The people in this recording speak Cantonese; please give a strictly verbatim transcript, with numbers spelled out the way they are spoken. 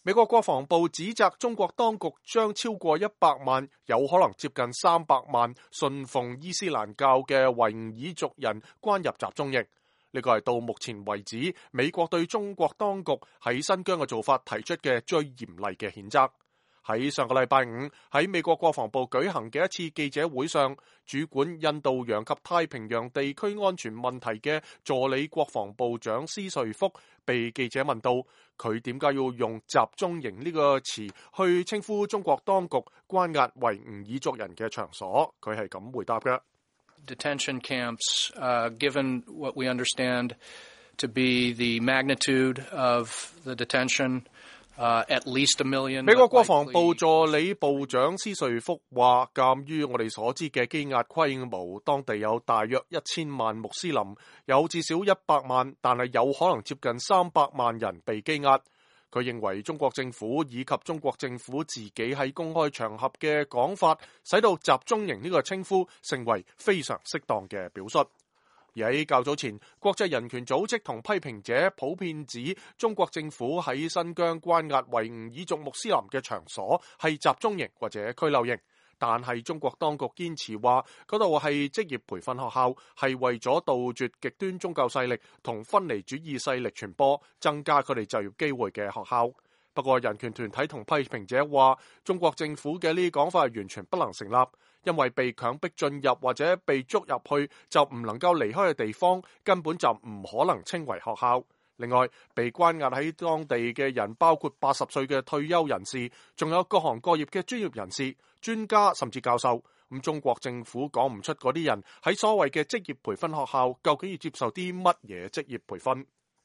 美國國防部指責中國當局將超過一百萬，有可能接近三百萬信奉伊斯蘭教嘅維吾爾族人關入集中營。呢個係到目前為止美國對中國當局喺新疆嘅做法提出嘅最嚴厲嘅譴責。喺上個禮拜五喺美國國防部舉行嘅一次記者會上，主管印度洋及太平洋地區安全問題嘅助理國防部長施瑞福被記者問到，佢點解要用集中營呢個詞去稱呼中國當局關押維吾爾族人嘅場所，佢係咁回答嘅。Detention camps, uh, given what we understand to be the magnitude of the detention, uh, at least a million. 美國國防部助理部長施瑞福話，鑑於我哋所知嘅羈押規模，當地有大約一千萬穆斯林，有至少一百萬，但係有可能接近三百萬人被羈押。佢認為中國政府以及中國政府自己喺公開場合嘅講法，使到集中營呢個稱呼成為非常適當嘅表述。而喺較早前，國際人權組織同批評者普遍指中國政府喺新疆關押維吾爾族穆斯林嘅場所係集中營或者拘留營。但係中國當局堅持話嗰度係職業培訓學校，係為咗杜絕極端宗教勢力同分離主義勢力傳播，增加佢哋就業機會嘅學校。不過人權團體同批評者話，中國政府嘅呢啲講法係完全不能成立，因為被強迫進入或者被捉入去就唔能夠離開嘅地方，根本就唔可能稱為學校。另外，被關押喺當地嘅人包括八十歲嘅退休人士，仲有各行各業嘅專業人士、專家甚至教授。咁中國政府講唔出嗰啲人喺所謂嘅職業培訓學校究竟要接受啲乜嘢職業培訓。